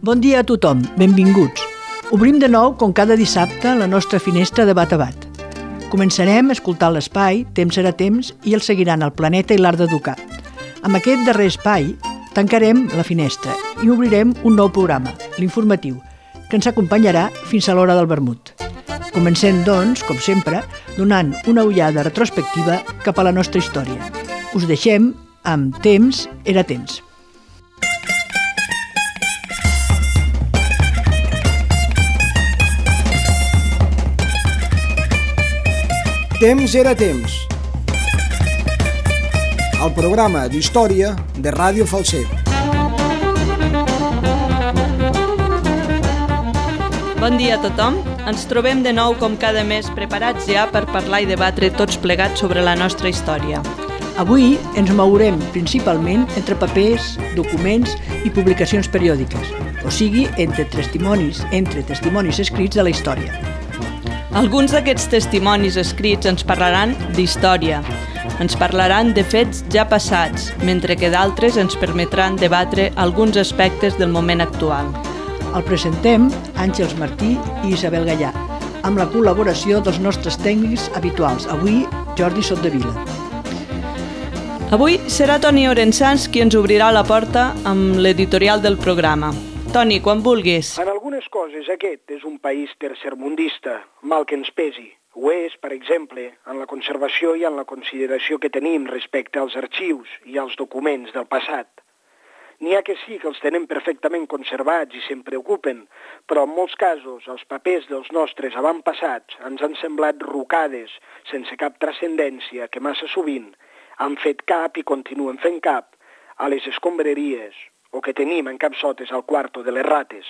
Bon dia a tothom, benvinguts. Obrim de nou, com cada dissabte, la nostra finestra de Bat a Bat. Començarem escoltant l'espai Temps serà temps i el seguiran el Planeta i l'Art d'Educar. Amb aquest darrer espai tancarem la finestra i obrirem un nou programa, l'informatiu, que ens acompanyarà fins a l'hora del vermut. Comencem, doncs, com sempre, donant una ullada retrospectiva cap a la nostra història. Us deixem amb Temps era temps. Temps era temps. El programa d'història de Ràdio Falset. Bon dia a tothom. Ens trobem de nou com cada mes preparats ja per parlar i debatre tots plegats sobre la nostra història. Avui ens mourem principalment entre papers, documents i publicacions periòdiques, o sigui, entre testimonis escrits de la història. Alguns d'aquests testimonis escrits ens parlaran d'història, ens parlaran de fets ja passats, mentre que d'altres ens permetran debatre alguns aspectes del moment actual. El presentem Àngels Martí i Isabel Gallà, amb la col·laboració dels nostres tècnics habituals, avui Jordi Sottavila. Avui serà Toni Orensans qui ens obrirà la porta amb l'editorial del programa. Toni, quan vulguis. En algunes coses aquest és un país tercermundista, mal que ens pesi. Ho és, per exemple, en la conservació i en la consideració que tenim respecte als arxius i als documents del passat. N'hi ha que sí que els tenen perfectament conservats i se'n preocupen, però en molts casos els papers dels nostres avantpassats ens han semblat rucades sense cap transcendència que massa sovint han fet cap i continuen fent cap a les escombraries o que tenim en capsotes al quarto de les rates.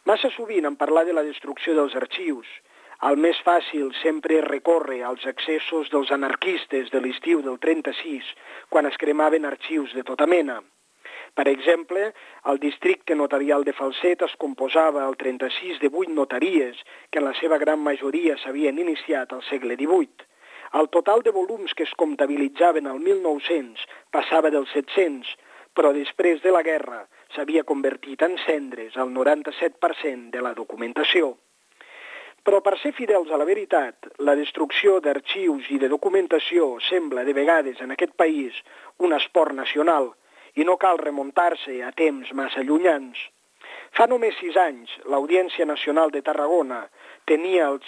Massa sovint en parlar de la destrucció dels arxius, el més fàcil sempre és recórrer als excessos dels anarquistes de l'estiu del 36, quan es cremaven arxius de tota mena. Per exemple, el districte notarial de Falset es composava al 36 de 8 notaries, que en la seva gran majoria s'havien iniciat al segle XVIII. El total de volums que es comptabilitzaven al 1900 passava dels 700, però després de la guerra s'havia convertit en cendres el 97% de la documentació. Però per ser fidels a la veritat, la destrucció d'arxius i de documentació sembla de vegades en aquest país un esport nacional i no cal remuntar-se a temps massa llunyans. Fa només 6 anys, l'Audiència Nacional de Tarragona tenia el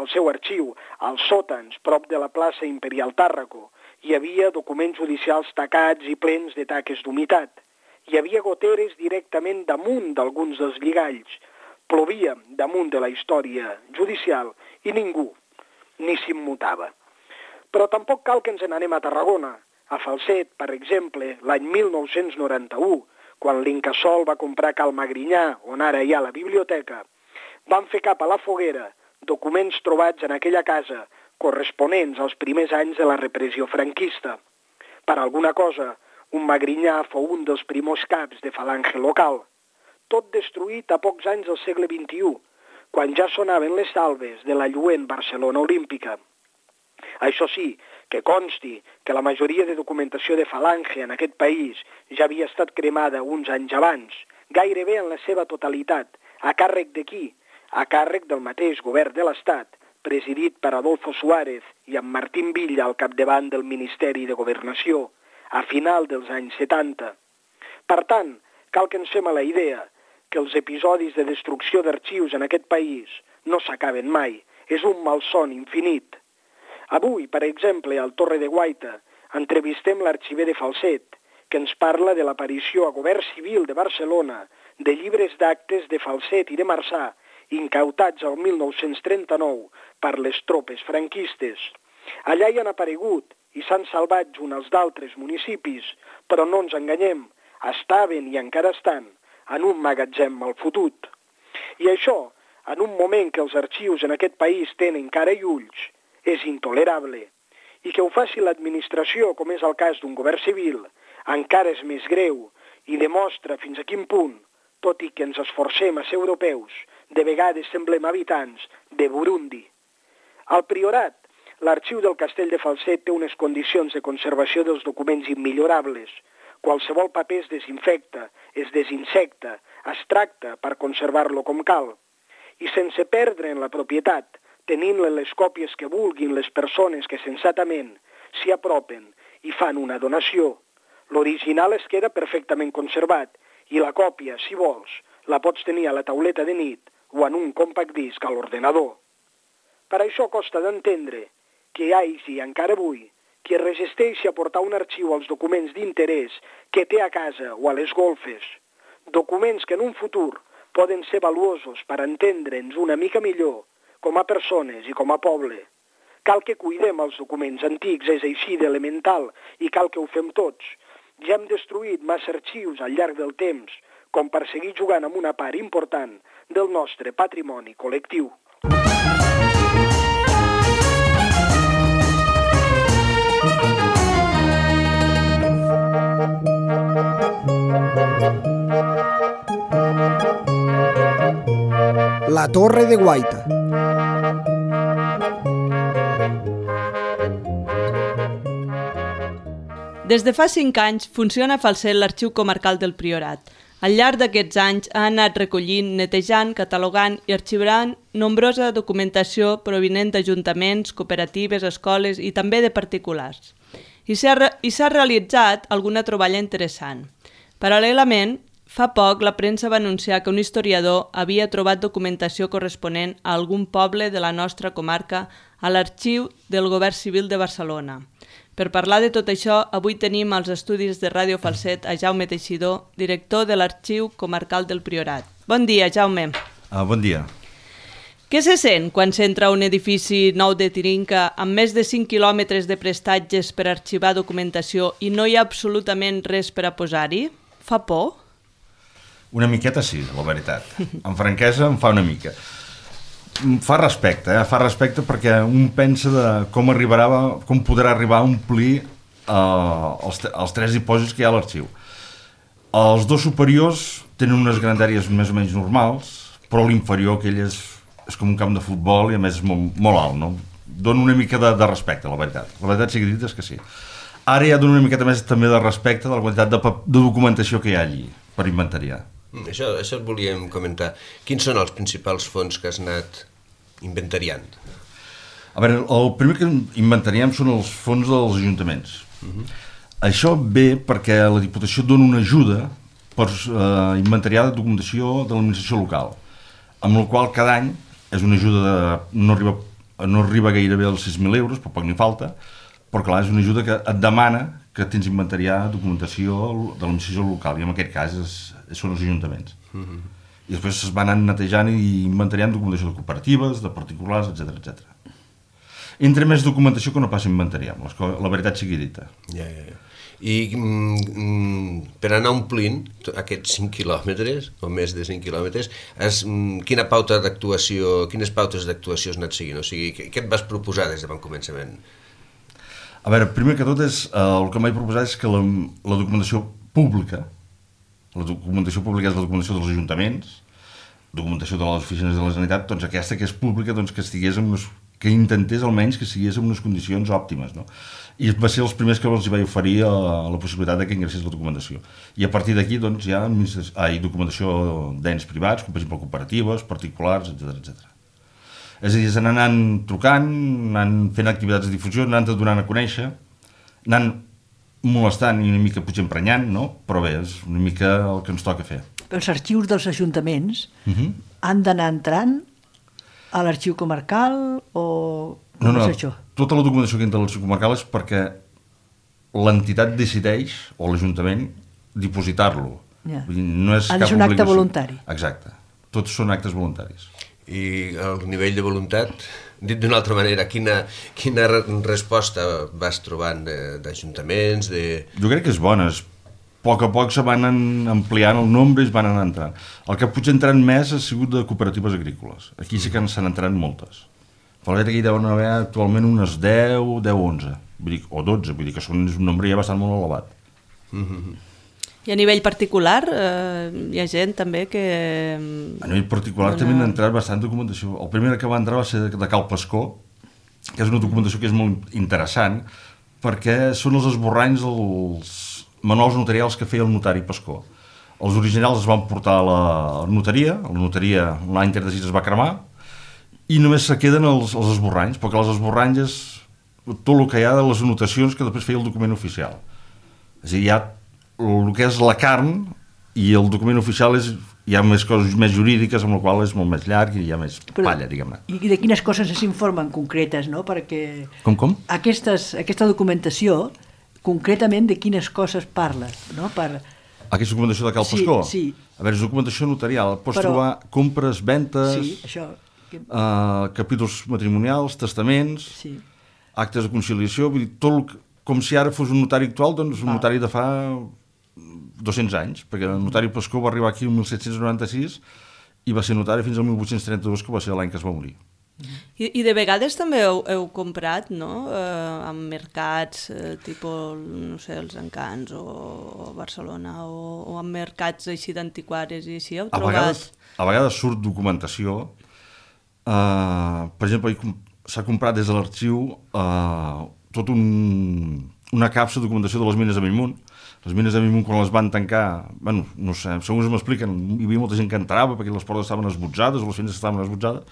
seu arxiu als sòtans prop de la plaça Imperial Tàrraco. Hi havia documents judicials tacats i plens de taques d'humitat. Hi havia goteres directament damunt d'alguns dels lligalls. Plovia damunt de la història judicial i ningú ni s'immutava. Però tampoc cal que ens n'anem a Tarragona. A Falset, per exemple, l'any 1991, quan l'Incasòl va comprar Cal Magrinyà, on ara hi ha la biblioteca, van fer cap a la foguera documents trobats en aquella casa corresponents als primers anys de la repressió franquista. Per alguna cosa, un Magrinyà fou un dels primers caps de falange local. Tot destruït a pocs anys del segle XXI, quan ja sonaven les salves de la lluent Barcelona olímpica. Això sí, que consti que la majoria de documentació de falange en aquest país ja havia estat cremada uns anys abans, gairebé en la seva totalitat. A càrrec de qui? A càrrec del mateix govern de l'Estat, presidit per Adolfo Suárez i amb Martín Villa al capdavant del Ministeri de Governació, a final dels anys 70. Per tant, cal que ens fem a la idea que els episodis de destrucció d'arxius en aquest país no s'acaben mai, és un malson infinit. Avui, per exemple, al Torre de Guaita, entrevistem l'arxiver de Falset, que ens parla de l'aparició a Govern Civil de Barcelona de llibres d'actes de Falset i de Marçà, incautats al 1939 per les tropes franquistes. Allà hi han aparegut i s'han salvat junt als d'altres municipis, però no ens enganyem, estaven i encara estan en un magatzem mal fotut. I això, en un moment que els arxius en aquest país tenen cara i ulls, és intolerable. I que ho faci l'administració, com és el cas d'un govern civil, encara és més greu i demostra fins a quin punt, tot i que ens esforcem a ser europeus, de vegades semblem habitants de Burundi. Al Priorat, l'arxiu del Castell de Falset té unes condicions de conservació dels documents immillorables. Qualsevol paper es desinfecta, es desinsecta, es tracta per conservar-lo com cal. I sense perdre en la propietat, tenint les còpies que vulguin les persones que sensatament s'hi apropen i fan una donació, l'original es queda perfectament conservat i la còpia, si vols, la pots tenir a la tauleta de nit o en un compact disc a l'ordenador. Per això costa d'entendre que hi hagi encara avui qui es resisteixi a portar un arxiu als documents d'interès que té a casa o a les golfes, documents que en un futur poden ser valuosos per entendre'ns una mica millor com a persones i com a poble. Cal que cuidem els documents antics, és així d'elemental, i cal que ho fem tots. Ja hem destruït massa arxius al llarg del temps, com per seguir jugant amb una part important del nostre patrimoni col·lectiu. La Torre de Guaita. Des de fa 5 anys funciona a Falset l'Arxiu Comarcal del Priorat. Al llarg d'aquests anys ha anat recollint, netejant, catalogant i arxivant nombrosa documentació provinent d'ajuntaments, cooperatives, escoles i també de particulars. I s'ha realitzat alguna troballa interessant. Paral·lelament, fa poc la premsa va anunciar que un historiador havia trobat documentació corresponent a algun poble de la nostra comarca a l'Arxiu del Govern Civil de Barcelona. Per parlar de tot això, avui tenim als estudis de Ràdio Falset a Jaume Teixidor, director de l'Arxiu Comarcal del Priorat. Bon dia, Jaume. Bon dia. Què se sent quan s'entra a un edifici nou de Tirinca amb més de 5 quilòmetres de prestatges per arxivar documentació i no hi ha absolutament res per a posar-hi? Fa por? Una miqueta sí, la veritat. Amb franquesa em fa una mica. Fa respecte perquè un pensa de com podrà arribar a omplir els 3 dipòsits que hi ha a l'arxiu. Els 2 superiors tenen unes grandàries més o menys normals, però l'inferior, aquell és com un camp de futbol i a més és molt alt, no? Dona una mica de respecte, la veritat. La veritat sigui dit és que sí. Ara ja dona una miqueta més també de respecte de la quantitat de documentació que hi ha allí per inventariar. Això et volíem comentar. Quins són els principals fons que has anat inventariant? A veure, el primer que inventariem són els fons dels ajuntaments. Això ve perquè la Diputació dona una ajuda per inventariar la documentació de l'administració local, amb la qual cada any és una ajuda no arriba gairebé als 6.000 euros, però poc n'hi falta, però clar, és una ajuda que et demana que tens inventariar documentació de l'administració local, i en aquest cas són els ajuntaments. I després es van anar netejant i inventariant documentació de cooperatives, de particulars, etc. Entra més documentació que no pas inventariam, la veritat sigui dita. I per anar omplint aquests 5 quilòmetres, o més de 5 quilòmetres, quines pautes d'actuació has anat seguint? O sigui, què et vas proposar des de bon començament? A veure, primer que tot el que m'he proposat és que la documentació pública, és la documentació dels ajuntaments, documentació de les oficines de la Generalitat, doncs aquesta que és pública, doncs que intentés almenys que estigués en unes condicions òptimes, no? I va ser els primers que els vaig oferir la possibilitat que ingressés la documentació. I a partir d'aquí doncs, hi ha documentació d'ens privats, com per exemple cooperatives, particulars, etc. És a dir, s'han anant trucant, anant fent activitats de difusió, anant donant a conèixer, anant molestant i una mica potser emprenyant, no? Però bé, és una mica el que ens toca fer. Els arxius dels ajuntaments han d'anar entrant a l'arxiu comarcal o com és això? Tota la documentació que entra a l'arxiu comarcal és perquè l'entitat decideix, o l'Ajuntament, dipositar-lo. Ha de ser un acte voluntari. Exacte. Tots són actes voluntaris. I el nivell de voluntat, dit d'una altra manera, quina resposta vas trobant d'ajuntaments? Jo crec que és bona. A poc se van ampliant el nombre i es van anar entrant. El que potser entrant més ha sigut de cooperatives agrícoles. Aquí sí que s'han entrat moltes. Però aquí deuen haver actualment unes 10 o 11, o 12, vull dir que és un nombre ja bastant molt elevat. I a nivell particular hi ha gent també que... A nivell particular també han entrat bastant documentació. El primer que va entrar va ser de Cal Pascó, que és una documentació que és molt interessant, perquè són els esborranys dels manuals notarials que feia el notari Pascó. Els originals es van portar a la notaria l'any 36 es va cremar, i només se queden els esborranys, perquè els esborranys és tot el que hi ha de les anotacions que després feia el document oficial. És a dir, hi ha el que és la carn, i el document oficial hi ha més coses més jurídiques, amb la qual és molt més llarg i hi ha més palla, diguem-ne. I de quines coses s'informen concretes, no? Perquè Com? Aquesta documentació, concretament de quines coses parla, no? Aquesta documentació de Cal Pascó? Sí. A veure, és documentació notarial. Pots trobar compres, ventes, sí, això. Capítols matrimonials, testaments, Sí. actes de conciliació, vull dir, tot com si ara fos un notari actual, doncs un notari de fa 200 anys, perquè el notari Pascó va arribar aquí el 1796 i va ser notari fins al 1832, que va ser l'any que es va morir. I de vegades també heu comprat, no?, en mercats tipus, no sé, els Encants o Barcelona, o en mercats així d'antiquaris i així, heu trobat... A vegades surt documentació. Per exemple, s'ha comprat des de l'arxiu tot una capsa de documentació de les mines de Bellmunt. Les mines de Bellmunt, quan les van tancar, bueno, no sé, segons m'expliquen, hi havia molta gent que entrava perquè les portes estaven esbotzades o les finestres estaven esbotzades,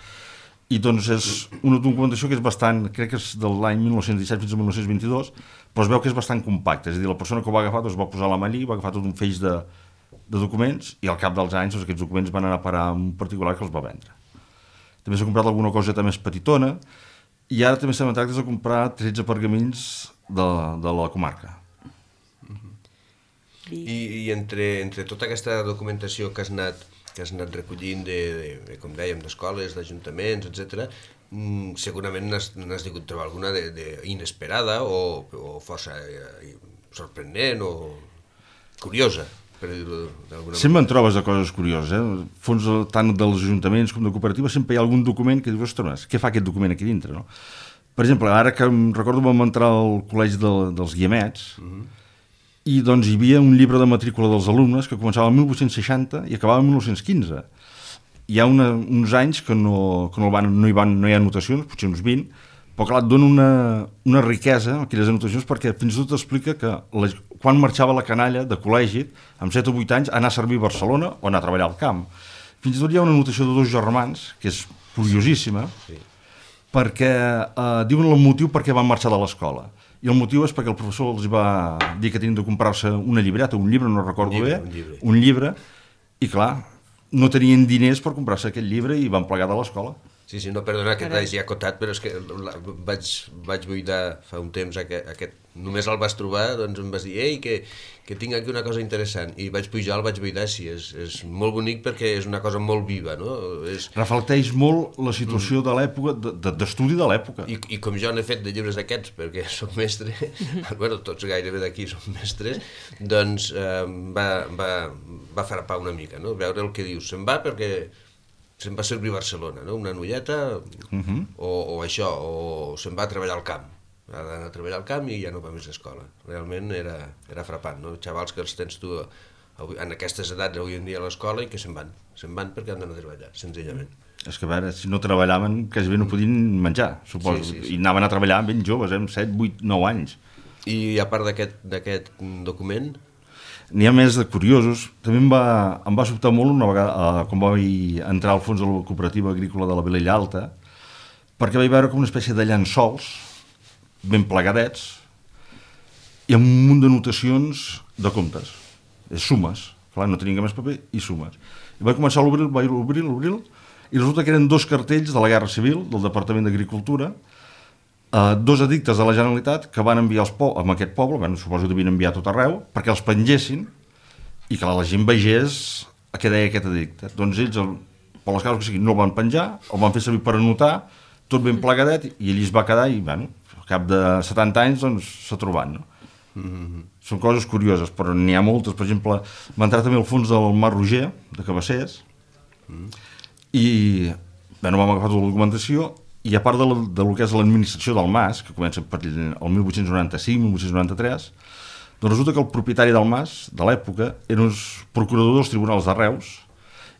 i doncs és una documentació que és bastant, crec que és de l'any 1917 fins al 1922, però es veu que és bastant compacta, és a dir, la persona que ho va agafar doncs va posar a la mà allí, va agafar tot un feix de documents, i al cap dels anys doncs, aquests documents van anar a parar a un particular que els va vendre. També s'ha comprat alguna coseta més petitona, i ara també estem en tractes de comprar 13 pergamins de la comarca. I entre tota aquesta documentació que has anat recollint com dèiem, d'escoles, d'ajuntaments, etc., segurament n'has degut trobar alguna inesperada o força sorprenent o curiosa, per dir-ho d'alguna manera. Sempre en trobes de coses curioses, fons tant dels ajuntaments com de cooperatives, sempre hi ha algun document que dius, ostres, què fa aquest document aquí dintre, no? Per exemple, ara que em recordo vam entrar al col·legi dels Guiamets, i doncs hi havia un llibre de matrícula dels alumnes que començava el 1860 i acabava el 1915. Hi ha uns anys que no hi ha anotacions, potser uns 20, però clar, et dona una riquesa aquelles anotacions, perquè fins i tot explica que quan marxava la canalla de col·legi, amb 7 o 8 anys, anar a servir a Barcelona o anar a treballar al camp. Fins i tot hi ha una anotació de 2 germans, que és curiosíssima, perquè diuen el motiu per què van marxar de l'escola. I el motiu és perquè el professor els va dir que tenien de comprar-se una llibreta, un llibre, no recordo bé, un llibre, i clar, no tenien diners per comprar-se aquest llibre i van plegar de l'escola. Sí, no, perdona que t'hagi acotat, però és que vaig buidar fa un temps aquest... Només el vas trobar, doncs em vas dir, ei, que tinc aquí una cosa interessant, i vaig pujar, el vaig buidar, sí, és molt bonic perquè és una cosa molt viva, no? Reflecteix molt la situació de l'època, d'estudi de l'època. I com jo n'he fet de llibres d'aquests, perquè soc mestre, bueno, tots gairebé d'aquí som mestres, doncs va frapar una mica, no? Veure el que dius, se'n va perquè se'n va servir a Barcelona, no? Una nolleta, o això, o se'n va a treballar al camp. Ha d'anar a treballar al camp i ja no va més a escola. Realment era frapant, no? Xavals que els tens tu en aquestes edats avui en dia a l'escola i que se'n van perquè han d'anar a treballar, senzillament. És que a veure, si no treballaven, quasi bé no podien menjar, suposo. Sí. I anaven a treballar ben joves, 7, 8, 9 anys. I a part d'aquest document... N'hi ha més de curiosos. També em va sobtar molt una vegada, quan vaig entrar al fons de la cooperativa agrícola de la Vilella Alta, perquè vaig veure com una espècie de llençols ben plegadets i amb un munt de notacions de comptes, sumes. Clar, no tenien més paper i sumes. I vaig començar a obrir, i resulta que eren 2 cartells de la Guerra Civil, del Departament d'Agricultura, 2 edictes de la Generalitat que van enviar a aquest poble, bueno, suposo que devien enviar a tot arreu, perquè els pengessin i que la gent vegés a què deia aquest edicte. Doncs ells, per les causes que siguin, no el van penjar, el van fer servir per anotar, tot ben plegadet, i allí es va quedar i, bueno, al cap de 70 anys, doncs, s'ha trobat, no? Són coses curioses, però n'hi ha moltes. Per exemple, va entrar també al fons del Mar Roger, de Cabassers, i, bueno, vam agafar tota la documentació, i a part de lo que és l'administració del mas, que comença per el 1895-1893, doncs resulta que el propietari del mas, de l'època, era un procurador dels tribunals de Reus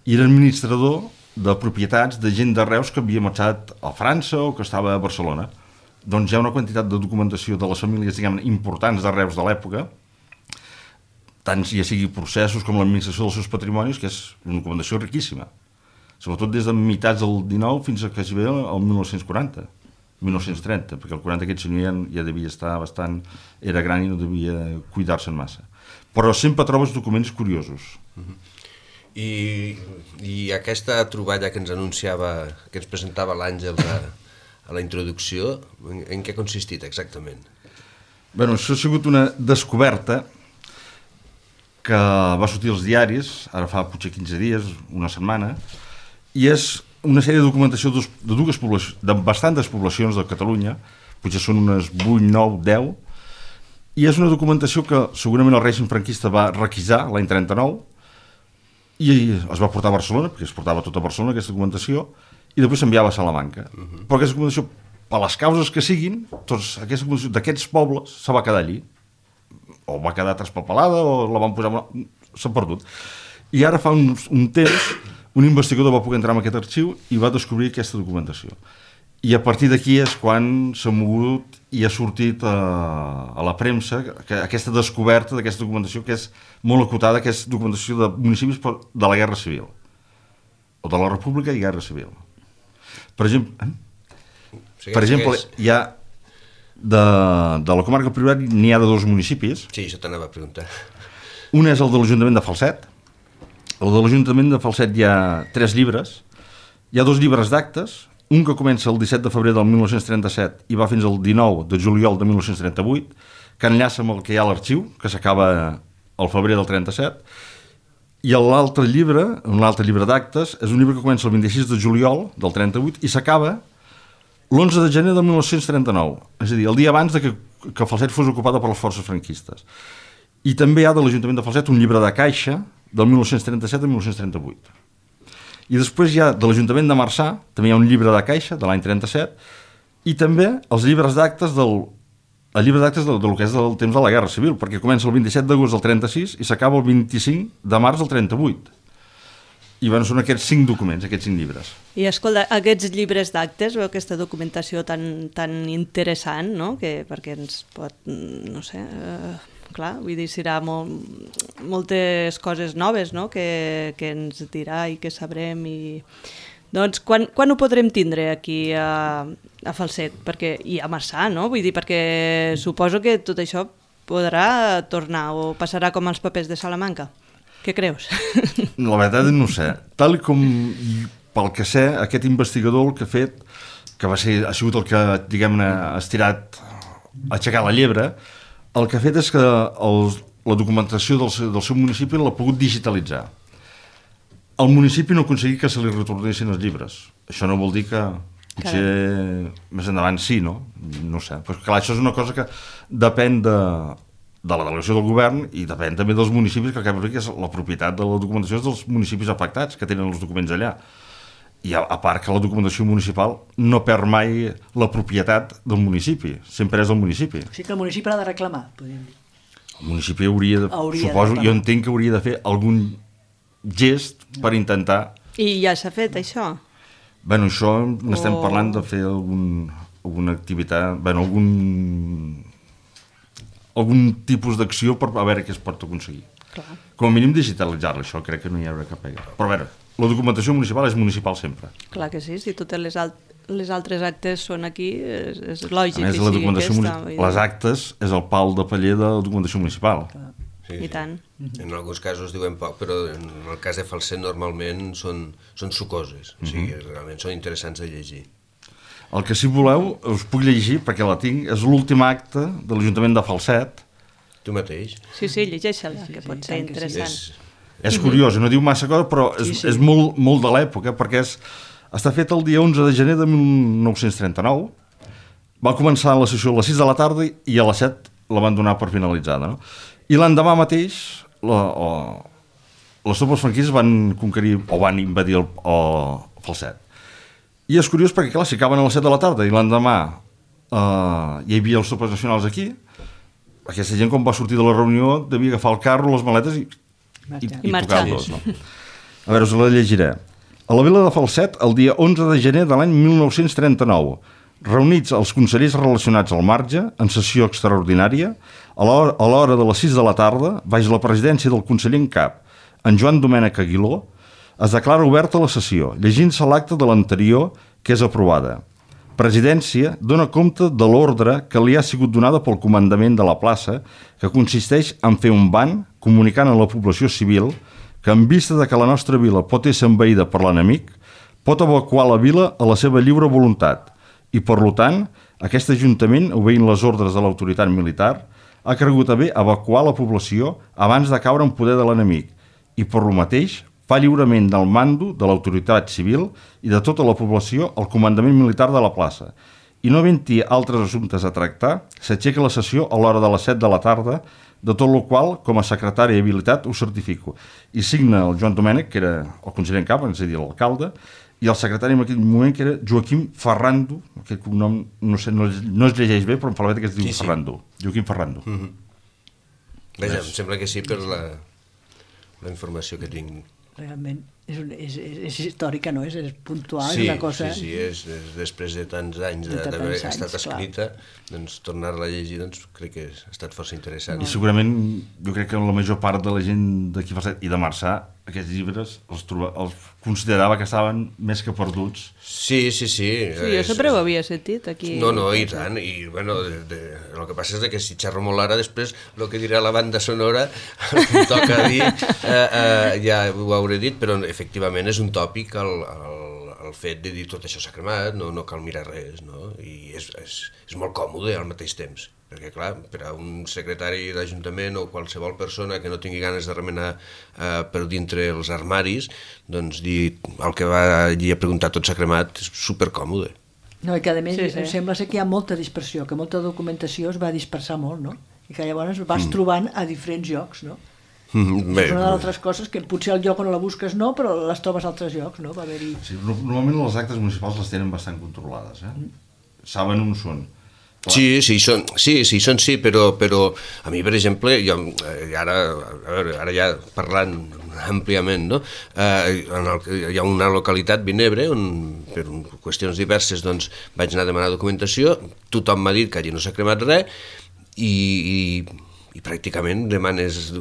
i era administrador de propietats de gent de Reus que havia marxat a França o que estava a Barcelona. Doncs hi ha una quantitat de documentació de les famílies, diguem, importants de Reus de l'època, tant ja sigui processos com l'administració dels seus patrimonis, que és una documentació riquíssima. Sobretot des de mitjans del 19 fins a quasi bé el 1940, 1930, perquè el 40 aquest senyor ja devia estar bastant... era gran i no devia cuidar-se'n massa. Però sempre trobes documents curiosos. I aquesta troballa que ens anunciava, que ens presentava l'Àngel a la introducció, en què ha consistit exactament? Bé, això ha sigut una descoberta que va sortir als diaris, ara fa potser 15 dies, una setmana, i és una sèrie de documentació de bastantes poblacions de Catalunya, potser són unes 8, 9, 10, i és una documentació que segurament el règim franquista va requisar l'any 39 i es va portar a Barcelona, perquè es portava tot a Barcelona aquesta documentació, i després s'enviava a Salamanca. Però aquesta documentació, per les causes que siguin, aquesta documentació d'aquests pobles se va quedar allí, o va quedar traspapelada o la van posar... s'ha perdut. I ara fa un temps un investigador va poder entrar en aquest arxiu i va descobrir aquesta documentació. I a partir d'aquí és quan s'ha mogut i ha sortit a la premsa aquesta descoberta d'aquesta documentació que és molt acotada, que és documentació de municipis de la Guerra Civil, o de la República i Guerra Civil. Per exemple, hi ha de la comarca del Priorat n'hi ha de 2 municipis. Sí, això t'anava a preguntar. Un és el de l'Ajuntament de Falset. El de l'Ajuntament de Falset hi ha 3 llibres. Hi ha 2 llibres d'actes, un que comença el 17 de febrer del 1937 i va fins al 19 de juliol de 1938, que enllaça amb el que hi ha a l'arxiu, que s'acaba al febrer del 37, i l'altre llibre, un altre llibre d'actes, és un llibre que comença el 26 de juliol del 38 i s'acaba l'11 de gener de 1939, és a dir, el dia abans de que Falset fos ocupada per les forces franquistes. I també hi ha de l'Ajuntament de Falset un llibre de caixa del 1937 a 1938. I després hi ha de l'Ajuntament de Marçà, també hi ha un llibre de caixa de l'any 37, i també els llibres d'actes del que és del temps de la Guerra Civil, perquè comença el 27 d'agost del 36 i s'acaba el 25 de març del 38. I bueno, són aquests 5 documents, aquests 5 llibres. I escolta, aquests llibres d'actes o aquesta documentació tan interessant, no? Perquè ens pot, no sé, clar, vull dir, serà moltes coses noves, no? que ens dirà i que sabrem. Doncs quan ho podrem tindre aquí a Falset? I a Marçà, no? Vull dir, perquè suposo que tot això podrà tornar o passarà com els papers de Salamanca. Què creus? La veritat no sé. Tal com, pel que sé, aquest investigador el que ha fet, que ha sigut el que, diguem-ne, ha estirat a aixecar la llebre, el que ha fet és que la documentació del seu municipi l'ha pogut digitalitzar. El municipi no ha aconseguit que se li retornessin els llibres. Això no vol dir que potser més endavant sí, no? No sé. Però clar, això és una cosa que depèn de la delegació del govern i depèn també dels municipis, que és la propietat de la documentació dels municipis afectats, que tenen els documents allà. I a part que la documentació municipal no perd mai la propietat del municipi, sempre és del municipi. O sigui que el municipi l'ha de reclamar, podríem dir. El municipi hauria jo entenc que hauria de fer algun gest per intentar... I ja s'ha fet això? Bé, això n'estem parlant de fer alguna activitat, bé, algun tipus d'acció per a veure què es pot aconseguir. Clar. Com a mínim digitalitzar-la, això crec que no hi haurà cap pega. Però a veure, la documentació municipal és municipal sempre. Clar que sí, si totes les altres actes són aquí, és lògic. A més, la documentació les actes és el pal de paller de la documentació municipal. Sí, i tant. En alguns casos diuen poc, però en el cas de Falset normalment són sucoses, o sigui, realment són interessants de llegir. El que si voleu us puc llegir, perquè la tinc, és l'últim acte de l'Ajuntament de Falset. Tu mateix? Sí, llegeix-la, que pot ser interessant. És curiós, no diu massa cosa, però és molt de l'època, perquè està fet el dia 11 de gener de 1939. Va començar la sessió a les 6 de la tarda i a les 7 la van donar per finalitzada. No? I l'endemà mateix les tropes franquistes van conquerir o van invadir el Falset. I és curiós perquè, clar, si acaben a les 7 de la tarda i l'endemà hi havia els tropes nacionals aquí, aquesta gent, quan va sortir de la reunió, devia agafar el carro, les maletes i tocar-los. No? A veure, us la llegiré. A la vila de Falset, el dia 11 de gener de l'any 1939, reunits els consellers relacionats al marge, en sessió extraordinària, a l'hora de les 6 de la tarda, baix la presidència del conseller en cap, en Joan Domènech Aguiló, es declara oberta la sessió, llegint-se l'acte de l'anterior, que és aprovada. Presidència dona compte de l'ordre que li ha sigut donada pel comandament de la plaça, que consisteix en fer un ban comunicant a la població civil que en vista de que la nostra vila pot ser envaïda per l'enemic, pot evacuar la vila a la seva lliure voluntat i, per tant, aquest Ajuntament, obeint les ordres de l'autoritat militar, ha cregut a bé evacuar la població abans de caure en poder de l'enemic i, per lo mateix, fa lliurement del mando de l'autoritat civil i de tota la població al comandament militar de la plaça. I no havent-hi altres assumptes a tractar, s'aixeca la sessió a l'hora de les 7 de la tarda, de tot el qual, com a secretari habilitat, ho certifico. I signa el Joan Domènech, que era el conseller en cap, és a dir, l'alcalde, i el secretari en aquell moment, que era Joaquim Ferrando, aquest cognom, no sé, no es llegeix bé, però em fa la veta que es diu Ferrando. Joaquim Ferrando. Vaja, em sembla que sí per la informació que tinc. Realment és històrica, no? És puntual, sí, és una cosa... Sí, és després de tants anys d'haver estat escrita, doncs tornar-la a llegir crec que ha estat força interessant. I segurament jo crec que la major part de la gent d'aquí Falset i de Marçà, aquests llibres els considerava que estaven més que perduts. Sí. Sí, jo sempre ho havia sentit aquí. No, i tant, i bueno, el que passa és que si xerro molt ara, després el que dirà la banda sonora em toca dir, ja ho hauré dit, però efectivament és un tòpic el fet de dir tot això s'ha cremat, no cal mirar res, no? I és molt còmode al mateix temps, perquè clar, per a un secretari d'Ajuntament o qualsevol persona que no tingui ganes de remenar per dintre els armaris, doncs dir el que va allí a preguntar tot s'ha cremat és supercòmode. No, i que a més em sembla que hi ha molta dispersió, que molta documentació es va dispersar molt, no? I que llavors vas trobant a diferents llocs, no? És una de les altres coses que potser al lloc on la busques no, però les trobes a altres llocs, no? Va haver-hi... Sí, normalment les actes municipals les tenen bastant controlades, saben on són. Sí, però a mi, per exemple, ara ja parlant àmpliament, no? Hi ha una localitat, Vinebre, on per qüestions diverses doncs, vaig anar a demanar documentació, tothom m'ha dit que allí no s'ha cremat res i pràcticament demanes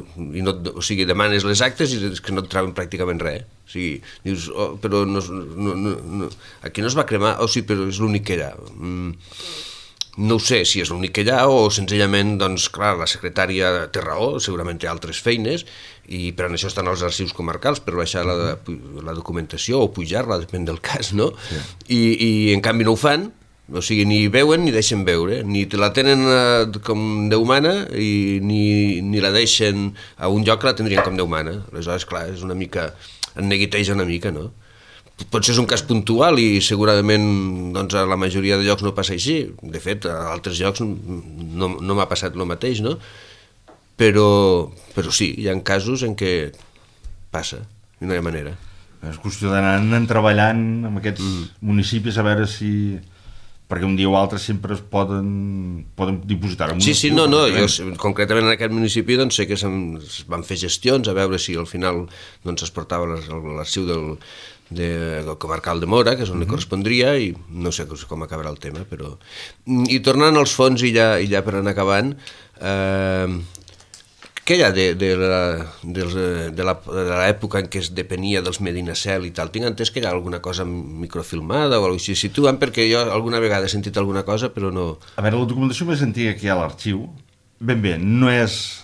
les actes i que no et troben pràcticament res. O sigui, dius, però aquí no es va cremar, sí, però és l'únic que hi ha. No ho sé si és l'únic que hi ha o senzillament, doncs, clar, la secretària té raó, segurament té altres feines, i per això estan els arxius comarcals, per baixar la documentació o pujar-la, depèn del cas, no? I en canvi no ho fan, o sigui, ni veuen ni deixen veure, ni te la tenen com Déu mana i ni la deixen a un lloc que la tindrien com Déu mana. Aleshores, clar, és una mica, en neguiteja una mica, no? Potser és un cas puntual i segurament doncs, a la majoria de llocs no passa així. De fet, a altres llocs no m'ha passat el mateix, no? Però sí, hi ha casos en què passa, i no hi ha manera. És qüestió d'anar treballant amb aquests municipis a veure si... perquè un dia o altre sempre es poden dipositar. Sí, no, jo concretament en aquest municipi doncs, sé que es van fer gestions a veure si al final doncs, es portava l'arxiu del comarcal de Mora, que és on li correspondria, i no sé com acabarà el tema, però... I tornant als fons i ja per anar acabant, què hi ha de l'època en què es depenia dels Medinacel i tal? Tinc entès que hi ha alguna cosa microfilmada o alguna cosa així. Situen, perquè jo alguna vegada he sentit alguna cosa, però no... A veure, la documentació més antiga que hi ha a l'arxiu, ben bé, no és...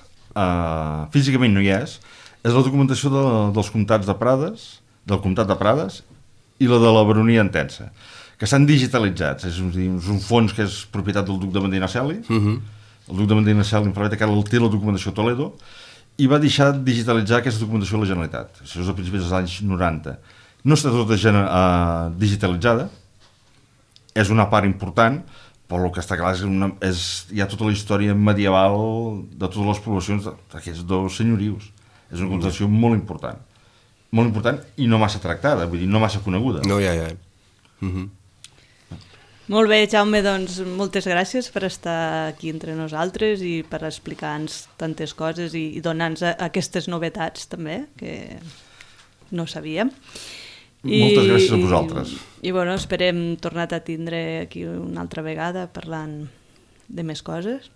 físicament no hi és la documentació dels comtats de Prades, del comtat de Prades i la de la baronia Entença, que s'han digitalitzat. És un fons que és propietat del duc de Medinaceli, el duc de Medinaceli que ara té la documentació a Toledo, i va deixar de digitalitzar aquesta documentació a la Generalitat. Això és a principis dels anys 90. No està tota digitalitzada, és una part important, però el que està clar és hi ha tota la història medieval de totes les poblacions d'aquests dos senyorius. És una documentació molt important i no massa tractada, vull dir, no massa coneguda. No, ja. Molt bé, Jaume, doncs moltes gràcies per estar aquí entre nosaltres i per explicar-nos tantes coses i donar-nos aquestes novetats també, que no sabíem. Moltes gràcies a vosaltres. I bueno, esperem tornar a tindre aquí una altra vegada parlant de més coses.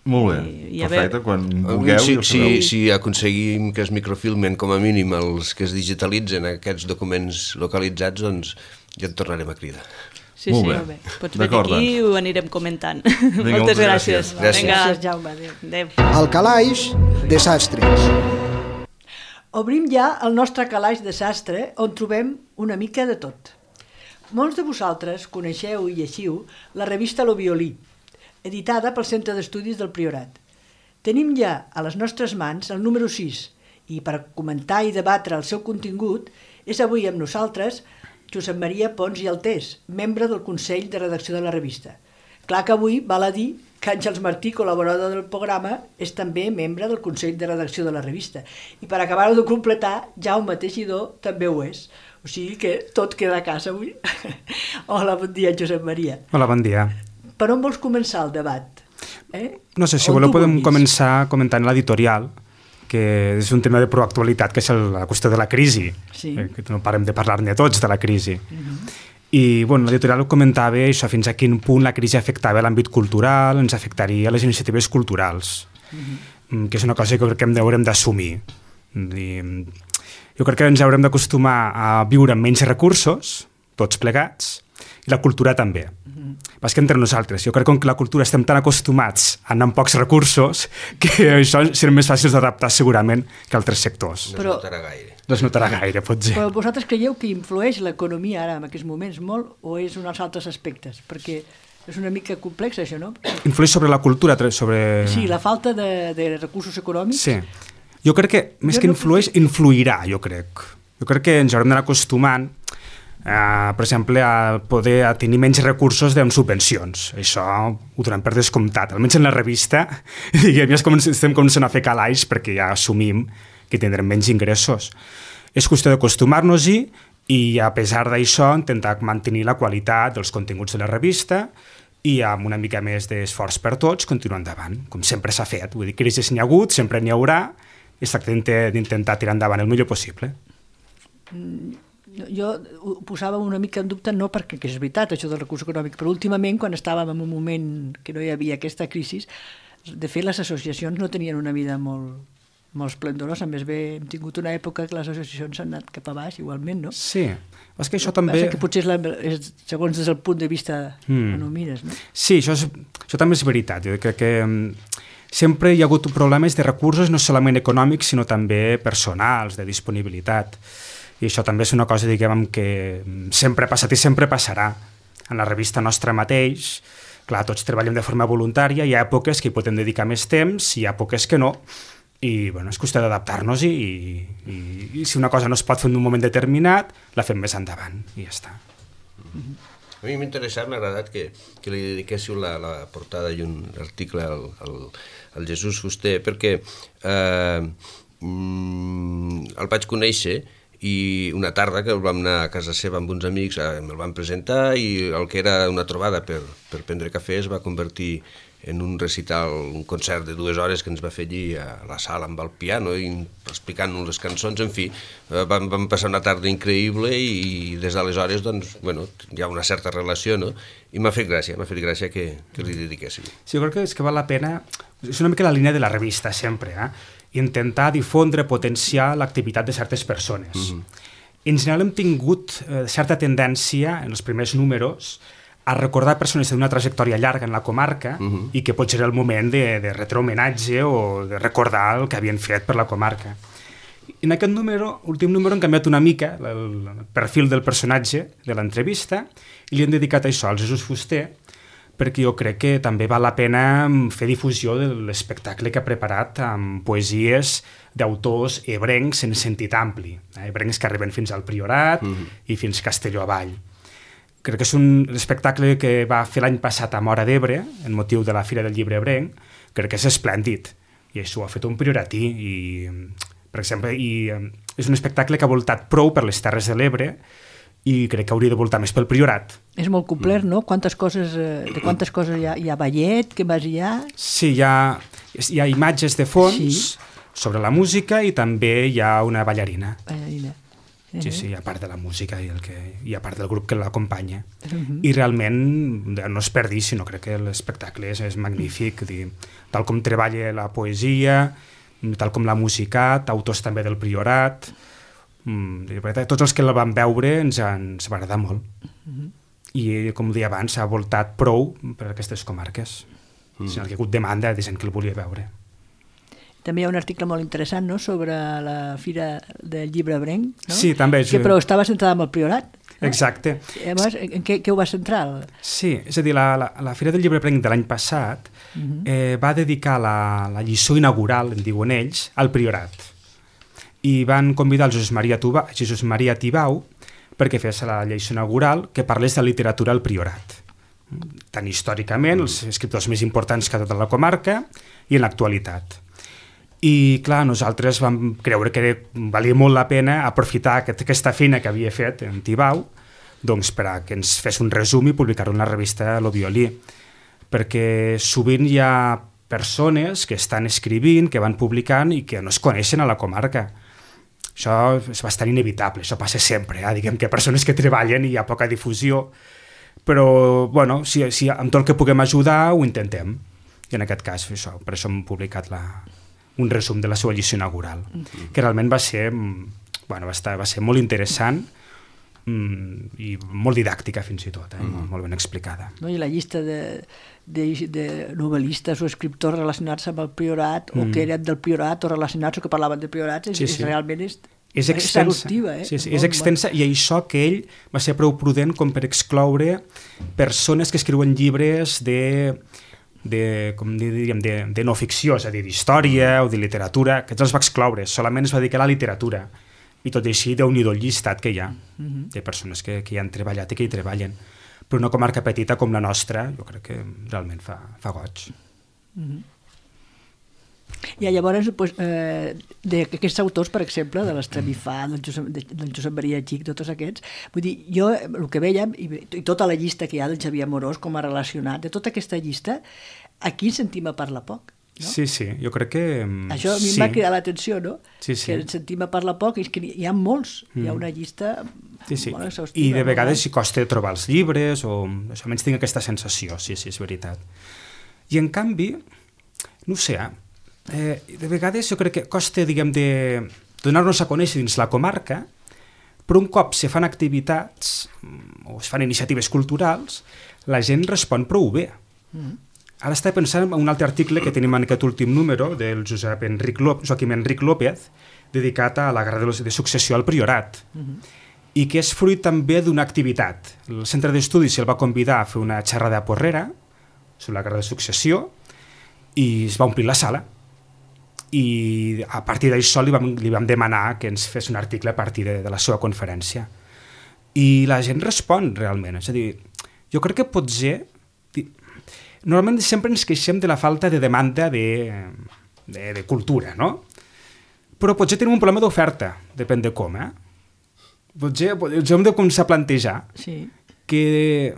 Molt bé, perfecte, quan vulgueu. Si aconseguim que es microfilmen com a mínim els que es digitalitzen aquests documents localitzats, doncs ja en tornarem a cridar. Sí, molt bé. Pots venir aquí i ho anirem comentant. Moltes gràcies. Gràcies, Jaume. Adéu. Al calaix de sastres. Obrim ja el nostre calaix de sastre, on trobem una mica de tot. Molts de vosaltres coneixeu i lleixiu la revista Lo Violí, editada pel Centre d'Estudis del Priorat. Tenim ja a les nostres mans el número 6 i per comentar i debatre el seu contingut és avui amb nosaltres Josep Maria Pons i Altés, membre del Consell de Redacció de la revista. Clar que avui val a dir que Àngels Martí, col·laborador del programa, és també membre del Consell de Redacció de la revista. I per acabar-ho de completar, Jaume Teixidor també ho és. O sigui que tot queda a casa avui. Hola, bon dia, Josep Maria. Hola, bon dia. Per on vols començar el debat? No sé, si voleu podem començar comentant l'editorial, que és un tema de proactualitat, que és la qüestió de la crisi, que no parem de parlar-ne tots de la crisi. I bueno, l'editorial ho comentava això, fins a quin punt la crisi afectava l'àmbit cultural, ens afectaria les iniciatives culturals, que és una cosa que crec que haurem d'assumir. Jo crec que ens haurem d'acostumar a viure amb menys recursos, tots plegats, i la cultura també. Pas que entre nosaltres, jo crec que la cultura estem tan acostumats a anar amb pocs recursos que això serà més fàcil d'adaptar segurament que altres sectors. No es notarà gaire. No es notarà gaire, potser. Però vosaltres creieu que influeix l'economia ara en aquests moments molt o és uns altres aspectes? Perquè és una mica complex això, no? Influeix sobre la cultura, sobre... Sí, la falta de recursos econòmics. Sí. Jo crec que més que influeix, influirà, jo crec. Jo crec que ens haurem d'anar acostumant per exemple, a poder tenir menys recursos amb subvencions. Això ho donem per descomptat. Almenys en la revista diguem, ja estem començant a fer calaix perquè ja assumim que tindrem menys ingressos. És qüestió d'acostumar-nos-hi i a pesar d'això intentar mantenir la qualitat dels continguts de la revista i amb una mica més d'esforç per tots continuar endavant, com sempre s'ha fet. Vull dir, crisis n'hi ha hagut, sempre n'hi haurà i es tracta d'intentar tirar endavant el millor possible. Jo ho posava una mica en dubte, no perquè és veritat això del recurs econòmic, però últimament quan estàvem en un moment que no hi havia aquesta crisi, de fet les associacions no tenien una vida molt esplendorosa, més bé hem tingut una època que les associacions han anat cap a baix igualment, no? Sí, és que això també... Que potser és segons des del punt de vista on ho mires, no? Sí, això també és veritat, jo crec que sempre hi ha hagut problemes de recursos no solament econòmics sinó també personals, de disponibilitat. I això també és una cosa, diguem, que sempre ha passat i sempre passarà. En la revista nostra mateix, clar, tots treballem de forma voluntària, hi ha èpoques que hi podem dedicar més temps, hi ha èpoques que no, i bueno, és qüestió d'adaptar-nos i si una cosa no es pot fer en un moment determinat, la fem més endavant, i ja està. A mi m'ha interessat, m'ha agradat que li dediquéssiu la portada i un article al Jesús Fuster, perquè el vaig conèixer i una tarda que vam anar a casa seva amb uns amics, me'l van presentar i el que era una trobada per prendre cafè es va convertir en un recital, un concert de 2 hores que ens va fer allí a la sala amb el piano i explicant-nos les cançons, en fi, vam passar una tarda increïble i des d'aleshores, doncs, bueno, hi ha una certa relació, no? I m'ha fet gràcia que li dediquéssim. Sí, jo crec que és que val la pena, és una mica la línia de la revista sempre, intentar difondre, potenciar l'activitat de certes persones. En general hem tingut certa tendència en els primers números a recordar persones d'una trajectòria llarga en la comarca i que potser era el moment de retre homenatge o de recordar el que havien fet per la comarca. En aquest últim número hem canviat una mica el perfil del personatge de l'entrevista i li hem dedicat això al Jesús Fuster, perquè jo crec que també val la pena fer difusió de l'espectacle que ha preparat amb poesies d'autors ebrencs en sentit ampli, ebrencs que arriben fins al Priorat i fins Castelló avall. Crec que és un espectacle que va fer l'any passat a Móra d'Ebre, en motiu de la Fira del Llibre Ebrenc, crec que és esplèndid, i això ho ha fet un prioratí, i, per exemple, és un espectacle que ha voltat prou per les Terres de l'Ebre, i crec que hauria de voltar més pel Priorat. És molt complet, no? De quantes coses hi ha ballet, què més hi ha? Sí, hi ha imatges de fons sobre la música i també hi ha una ballarina. Sí, a part de la música i a part del grup que l'acompanya. I realment no es perdi, sinó crec que l'espectacle és magnífic, tal com treballa la poesia, tal com l'ha musicat, autors també del Priorat, tots els que la van veure ens va agradar molt. I, com deia abans, s'ha voltat prou per aquestes comarques. Sinó que hi ha hagut demanda de gent que el volia veure. També hi ha un article molt interessant, no?, sobre la Fira del Llibre Ebrenc, no? Sí, també. Però estava centrada en el Priorat. No? Exacte. Llavors, en què ho va centrar? Sí, és a dir, la Fira del Llibre Ebrenc de l'any passat va dedicar la lliçó inaugural, en diuen ells, al Priorat. I van convidar el Jesús Maria Tibau perquè fes la lliçó inaugural que parlés de literatura al Priorat. Tant històricament, els escriptors més importants que a tota la comarca, i en l'actualitat. I, clar, nosaltres vam creure que valia molt la pena aprofitar aquesta feina que havia fet en Tibau, doncs per a que ens fes un resum i publicar-ho en la revista Lo Violí. Perquè sovint hi ha persones que estan escrivint, que van publicant i que no es coneixen a la comarca. Això és bastant inevitable, això passa sempre, diguem que persones que treballen i hi ha poca difusió, però, bueno, si amb tot el que puguem ajudar ho intentem. I en aquest cas, per això hem publicat un resum de la seva lliçó inaugural, que realment va ser molt interessant i molt didàctica fins i tot, molt ben explicada. No? I la llista de novel·listes o escriptors relacionats amb el Priorat o que eren del Priorat o relacionats o que parlaven del Priorat realment és exhaustiva. És extensa, i això que ell va ser prou prudent com per excloure persones que escriuen llibres de no ficció, és a dir, d'història o de literatura, que els va excloure, solament es va dedicar a la literatura. I tot i així, Déu-n'hi-do el llistat que hi ha, de persones que hi han treballat i que hi treballen. Però una comarca petita com la nostra, jo crec que realment fa goig. I llavors, d'aquests autors, per exemple, de l'Estremifà, del Josep Maria Xic, tots aquests, vull dir, jo el que vèiem, i tota la llista que hi ha del Xavier Amorós com a relacionat, de tota aquesta llista, aquí sentim a parlar poc. No? Sí, jo crec que... Això a mi em va cridar l'atenció, no? Sí. Que ens sentim a parlar poc, i és que hi ha molts, hi ha una llista molt exhaustiva. I de vegades hi costa trobar els llibres, o almenys tinc aquesta sensació, sí, és veritat. I en canvi, no ho sé, de vegades jo crec que costa, diguem, de donar-nos a conèixer dins la comarca, però un cop se fan activitats o es fan iniciatives culturals, la gent respon prou bé. Ara estava pensant en un altre article que tenim en aquest últim número del Joaquim Enric López, dedicat a la guerra de successió al Priorat, i que és fruit també d'una activitat. El Centre d'Estudis el va convidar a fer una xerrada a Porrera sobre la guerra de successió i es va omplir la sala. I a partir d'això li vam demanar que ens fes un article a partir de la seva conferència. I la gent respon realment. És a dir, jo crec que potser... Normalment sempre ens queixem de la falta de demanda de cultura, no? Però potser tenim un problema d'oferta, depèn de com, Potser hem de començar a plantejar que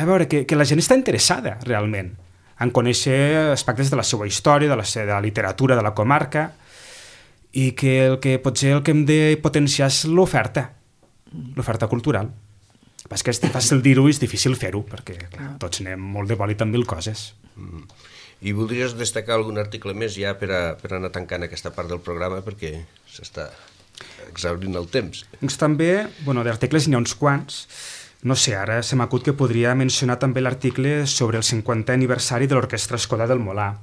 la gent està interessada realment en conèixer aspectes de la seva història, de la literatura de la comarca, i que potser el que hem de potenciar és l'oferta cultural. És que és fàcil dir-ho i és difícil fer-ho, perquè clar, tots anem molt de bòlit amb 1000 coses. I voldries destacar algun article més ja per anar tancant aquesta part del programa, perquè s'està exhaurint el temps. Doncs també, d'articles n'hi ha uns quants. No sé, ara se m'acut que podria mencionar també l'article sobre el 50è aniversari de l'Orquestra Escola del Molar,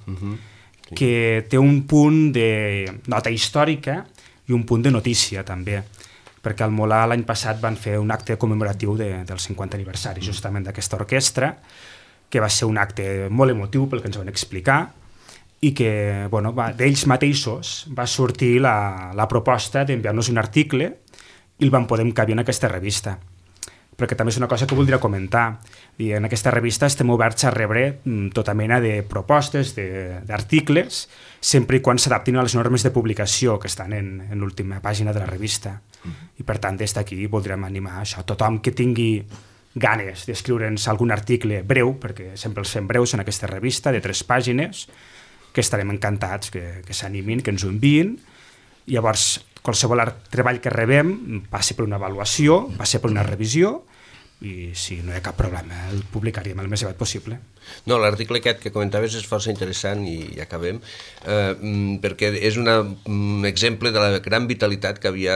que té un punt de nota històrica i un punt de notícia també, perquè al Molar l'any passat van fer un acte commemoratiu del 50è aniversari justament d'aquesta orquestra, que va ser un acte molt emotiu pel que ens van explicar, i que d'ells mateixos va sortir la proposta d'enviar-nos un article i el vam poder encabir en aquesta revista. Perquè també és una cosa que voldria comentar. I en aquesta revista estem oberts a rebre tota mena de propostes, d'articles, sempre i quan s'adaptin a les normes de publicació que estan en l'última pàgina de la revista. I per tant, des d'aquí voldríem animar això. Tothom que tingui ganes d'escriure'ns algun article breu, perquè sempre els fem breus en aquesta revista, de 3 pàgines, que estarem encantats que s'animin, que ens ho enviïn. Llavors, qualsevol treball que rebem passa per una avaluació, passa per una revisió, i si no hi ha cap problema el publicaríem el més aviat possible. No, l'article aquest que comentaves és força interessant i acabem, perquè és un exemple de la gran vitalitat que havia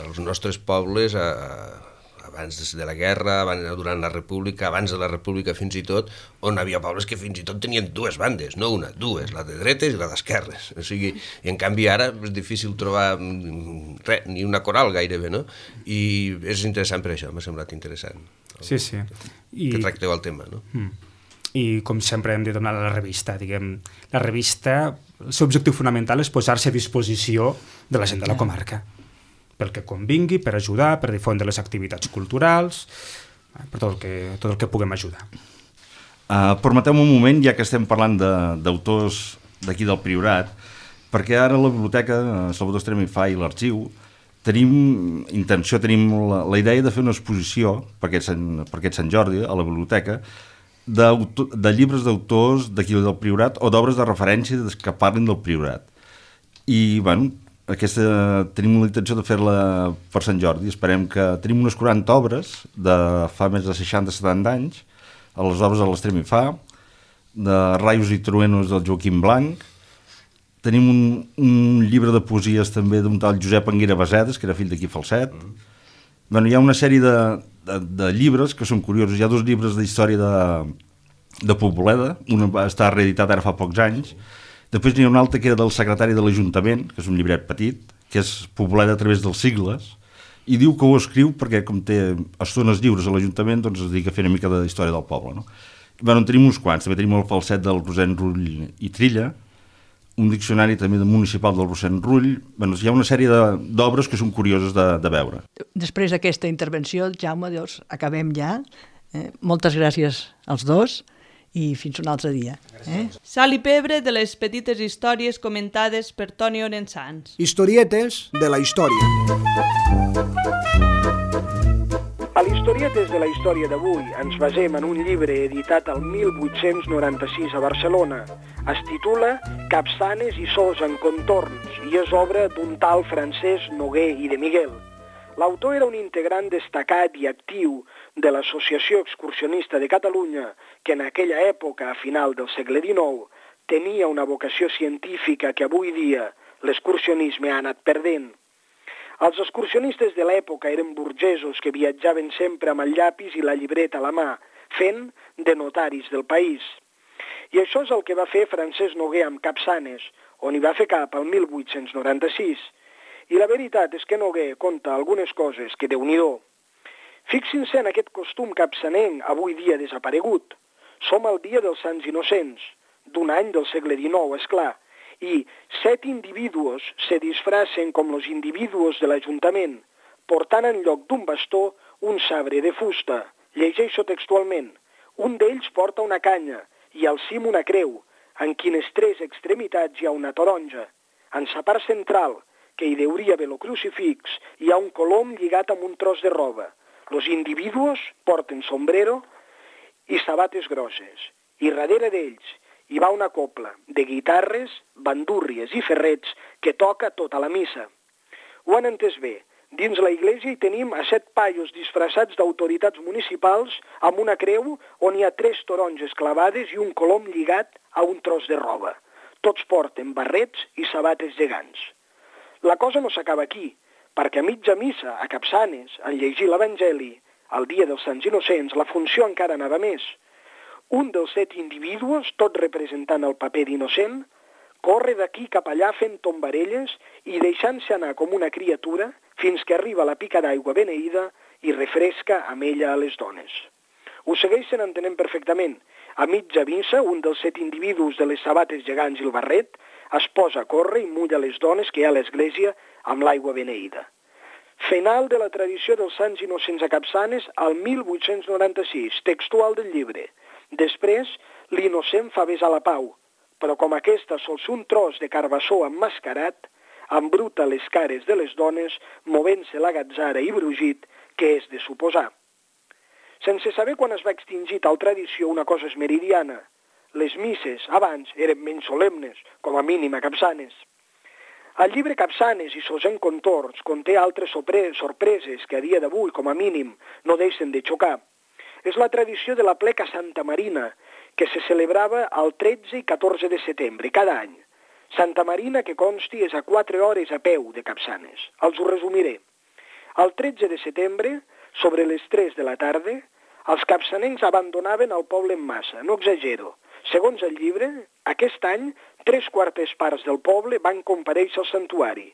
als nostres pobles abans de la guerra, durant la república, abans de la república fins i tot, on havia pobles que fins i tot tenien dues bandes, no una, dues, la de dretes i la d'esquerres. O sigui, i en canvi ara és difícil trobar res, ni una coral gairebé, no? I és interessant per això, m'ha semblat interessant. Sí, sí. Que tracteu el tema, no? I com sempre hem de donar a la revista, diguem, la revista, el seu objectiu fonamental és posar-se a disposició de la gent de la comarca, pel que convingui, per ajudar, per difondre les activitats culturals, per tot el que puguem ajudar. Permeteu-me un moment, ja que estem parlant d'autors d'aquí del Priorat, perquè ara la biblioteca, Salvador Estrema i Fa i l'Arxiu, tenim la idea de fer una exposició per aquest Sant Jordi a la biblioteca de llibres d'autors d'aquí del Priorat o d'obres de referència que parlin del Priorat. I, bueno, tenim la intenció de fer-la per Sant Jordi. Esperem que tenim unes 40 obres de fa més de 60-70 anys, a les obres de l'Estrema i Fa, de Raios i Truenos del Joaquim Blanc. Tenim un llibre de poesies també d'un tal Josep Anguera Basedes, que era fill d'aquí Falset. Bueno, hi ha una sèrie de llibres que són curiosos. Hi ha 2 llibres d'història de Poboleda, un va estar reeditat ara fa pocs anys. Després n'hi ha un altre que era del secretari de l'Ajuntament, que és un llibret petit, que és Poboleda a través dels sigles, i diu que ho escriu perquè, com té estones lliures a l'Ajuntament, doncs es dedica a fer una mica de història del poble, no? Bueno, en tenim uns quants. També tenim el Falset del Rosent Rull i Trilla, un diccionari també municipal del Rosent Rull. Bueno, hi ha una sèrie d'obres que són curioses de veure. Després d'aquesta intervenció, Jaume, doncs, acabem ja. Moltes gràcies als dos i fins un altre dia. Sal i pebre de les petites històries comentades per Toni Orensans. Historietes de la història. A l'Historietes de la història d'avui ens basem en un llibre editat el 1896 a Barcelona. Es titula Capçanes i sos en contorns i és obra d'un tal Francesc Noguer i de Miguel. L'autor era un integrant destacat i actiu de l'Associació Excursionista de Catalunya, que en aquella època, a final del segle XIX, tenia una vocació científica que avui dia l'excursionisme ha anat perdent. Els excursionistes de l'època eren burgesos que viatjaven sempre amb el llapis i la llibreta a la mà, fent de notaris del país. I això és el que va fer Francesc Noguer amb Capçanes, on hi va fer cap al 1896. I la veritat és que Noguer conta algunes coses que déu-n'hi-do. Fixin-se en aquest costum capçanenc avui dia desaparegut. Som al dia dels Sants Innocents, d'un any del segle XIX, esclar, i 7 individus se disfracen com los individus de l'Ajuntament, portant en lloc d'un bastó un sabre de fusta. Llegeixo textualment. Un d'ells porta una canya i al cim una creu, en quines 3 extremitats hi ha una taronja. En sa part central, que hi deuria haver el crucifix, hi ha un colom lligat amb un tros de roba. Los individus porten sombrero i sabates grosses. I darrere d'ells hi va una copla de guitarres, bandúrries i ferrets que toca tota la missa. Ho han entès bé. Dins la iglesia hi tenim a 7 paios disfressats d'autoritats municipals amb una creu on hi ha 3 taronges clavades i un colom lligat a un tros de roba. Tots porten barrets i sabates gegants. La cosa no s'acaba aquí, perquè a mitja missa, a Capçanes, en llegir l'Evangeli, al dia dels Sants Innocents, la funció encara anava més. Un dels 7 individus, tot representant el paper d'innocent, corre d'aquí cap allà fent tombarelles i deixant-se anar com una criatura fins que arriba a la pica d'aigua beneïda i refresca amb ella a les dones. Ho segueixen entenent perfectament. A mitja missa, un dels 7 individus de les sabates gegants i el barret es posa a córrer i mulla les dones que hi ha a l'església amb l'aigua beneïda. Final de la tradició dels Sants Innocents a Capçanes al 1896, textual del llibre. Després, l'innocent fa besar la pau, però com aquesta sols un tros de carbassó emmascarat, embruta les cares de les dones, movent-se la gatzara i brugit, que és de suposar. Sense saber quan es va extingir tal tradició, una cosa és meridiana. Les misses, abans, eren menys solemnes, com a mínim a Capçanes. El llibre Capçanes i sos encontorns conté altres sorpreses que a dia d'avui, com a mínim, no deixen de xocar. És la tradició de la pleca Santa Marina, que se celebrava el 13 i 14 de setembre, cada any. Santa Marina, que consti, és a 4 hores a peu de Capçanes. Els ho resumiré. El 13 de setembre, sobre les 3 de la tarda, els capçanencs abandonaven el poble en massa, no exagero. Segons el llibre, aquest any, 3/4 parts del poble van comparèixer al santuari.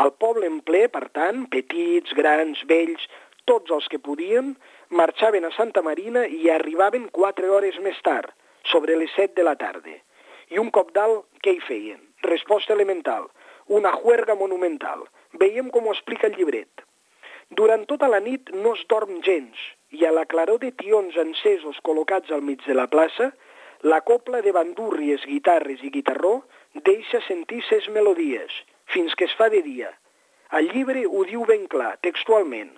El poble en ple, per tant, petits, grans, vells, tots els que podien, marxaven a Santa Marina i arribaven 4 hores més tard, sobre les 7 de la tarda. I un cop dalt, què hi feien? Resposta elemental, una juerga monumental. Veiem com ho explica el llibret. Durant tota la nit no es dorm gens, i a la claror de tions encesos col·locats al mig de la plaça, la copla de bandúrries, guitarres i guitarró deixa sentir ses melodies, fins que es fa de dia. El llibre ho diu ben clar, textualment.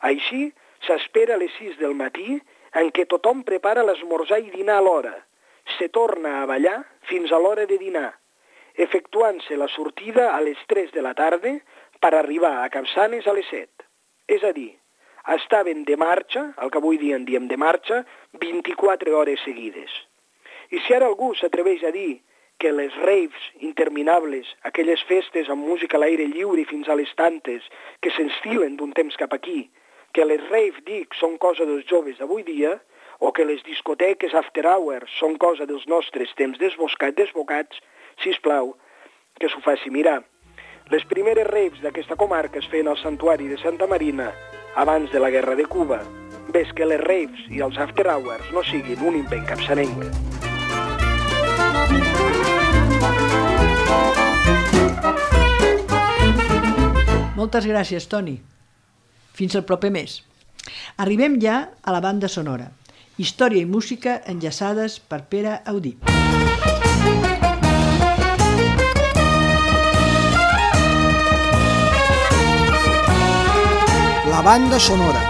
Així, s'espera a les 6 del matí, en què tothom prepara l'esmorzar i dinar a l'hora. Se torna a ballar fins a l'hora de dinar, efectuant-se la sortida a les 3 de la tarda per arribar a Capçanes a les 7. És a dir, estaven de marxa, el que avui dia en diem de marxa, 24 hores seguides. I si ara algú s'atreveix a dir que les raves interminables, aquelles festes amb música a l'aire lliure fins a les tantes, que s'enstilen d'un temps cap aquí, que les rave, dic, són cosa dels joves d'avui dia, o que les discoteques after hours són cosa dels nostres temps desbocats, sisplau, que s'ho faci mirar. Les primeres raves d'aquesta comarca es feien al santuari de Santa Marina abans de la guerra de Cuba. Ves que les raves i els after hours no siguin un invent capçanenc. Moltes gràcies, Toni. Fins al proper mes. Arribem ja a la banda sonora. Història i música enllaçades per Pere Audí. La banda sonora.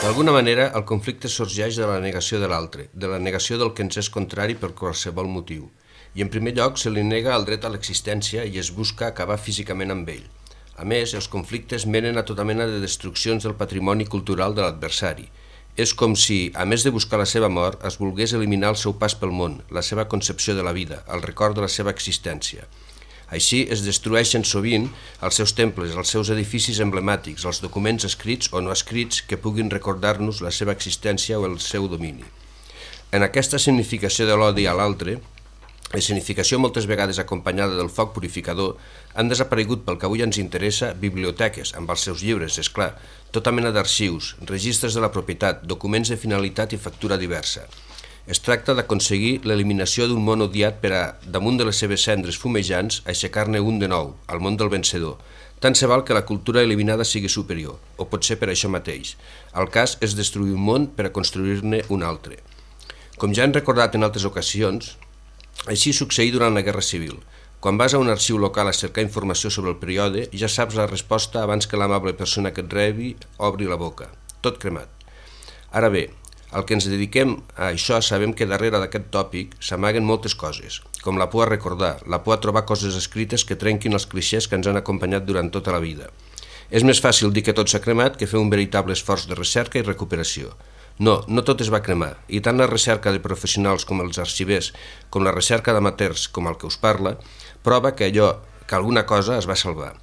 D'alguna manera, el conflicte sorgeix de la negació de l'altre, de la negació del que ens és contrari per qualsevol motiu. I en primer lloc se li nega el dret a l'existència i es busca acabar físicament amb ell. A més, els conflictes menen a tota mena de destruccions del patrimoni cultural de l'adversari. És com si, a més de buscar la seva mort, es volgués eliminar el seu pas pel món, la seva concepció de la vida, el record de la seva existència. Així es destrueixen sovint els seus temples, els seus edificis emblemàtics, els documents escrits o no escrits que puguin recordar-nos la seva existència o el seu domini. En aquesta significació de l'odi a l'altre, escenificació moltes vegades acompanyada del foc purificador, han desaparegut pel que avui ens interessa biblioteques, amb els seus llibres, és clar, tota mena d'arxius, registres de la propietat, documents de finalitat i factura diversa. Es tracta d'aconseguir l'eliminació d'un món odiat per a, damunt de les seves cendres fumejants, aixecar-ne un de nou, al món del vencedor. Tant se val que la cultura eliminada sigui superior, o pot ser per això mateix. El cas és destruir un món per a construir-ne un altre. Com ja hem recordat en altres ocasions, així succeí durant la Guerra Civil. Quan vas a un arxiu local a cercar informació sobre el període, ja saps la resposta abans que l'amable persona que et rebi obri la boca. Tot cremat. Ara bé, el que ens dediquem a això sabem que darrere d'aquest tòpic s'amaguen moltes coses, com la por a recordar, la por a trobar coses escrites que trenquin els clixés que ens han acompanyat durant tota la vida. És més fàcil dir que tot s'ha cremat que fer un veritable esforç de recerca i recuperació. No, no tot es va cremar, i tant la recerca de professionals com els arxivers, com la recerca d'amateurs com el que us parla, prova que alguna cosa es va salvar.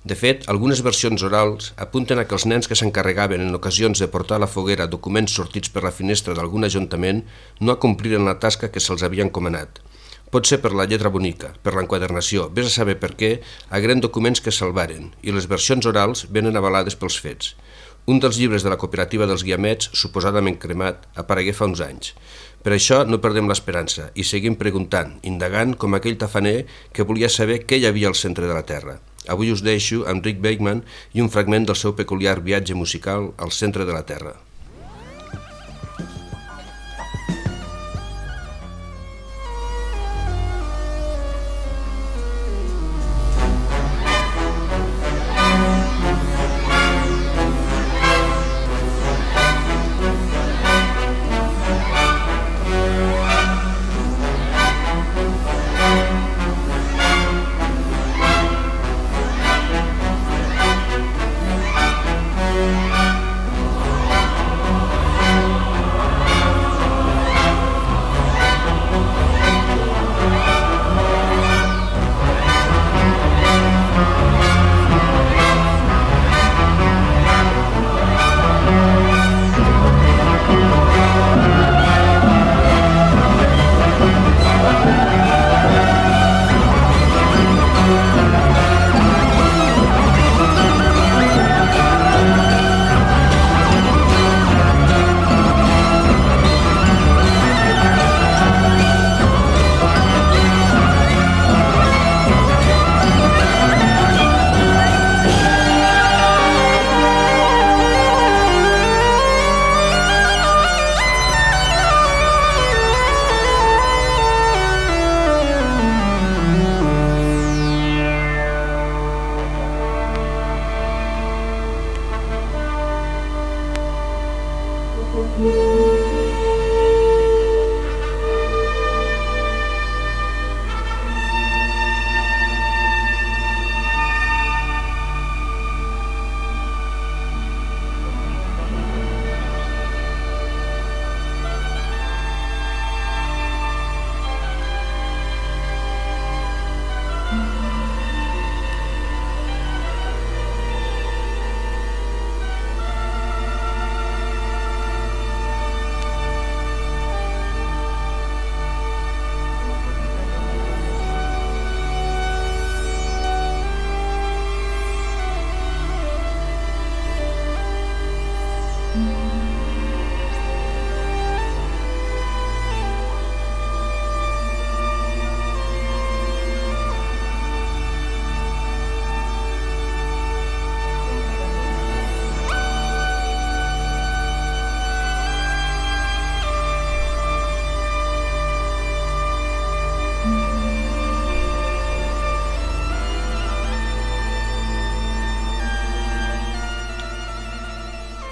De fet, algunes versions orals apunten a que els nens que s'encarregaven en ocasions de portar a la foguera documents sortits per la finestra d'algun ajuntament no acompliren la tasca que se'ls havia encomanat. Pot ser per la lletra bonica, per l'enquadernació, vés a saber per què, hagueren documents que salvaren, i les versions orals venen avalades pels fets. Un dels llibres de la cooperativa dels Guiamets, suposadament cremat, aparegué fa uns anys. Per això no perdem l'esperança i seguim preguntant, indagant com aquell tafaner que volia saber què hi havia al centre de la Terra. Avui us deixo amb Rick Wakeman i un fragment del seu peculiar viatge musical al centre de la Terra.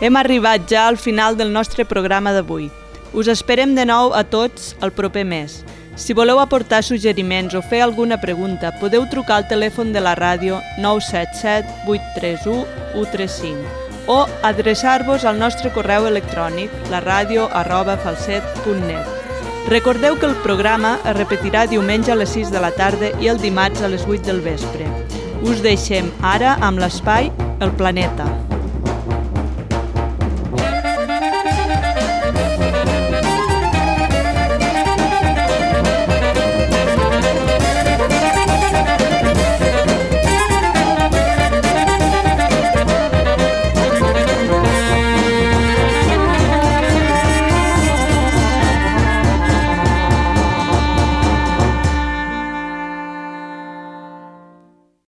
Hem arribat ja al final del nostre programa d'avui. Us esperem de nou a tots el proper mes. Si voleu aportar suggeriments o fer alguna pregunta, podeu trucar al telèfon de la ràdio 977 831 135 o adreçar-vos al nostre correu electrònic laradio@falset.net. Recordeu que el programa es repetirà diumenge a les 6 de la tarda i el dimarts a les 8 del vespre. Us deixem ara amb l'espai El Planeta.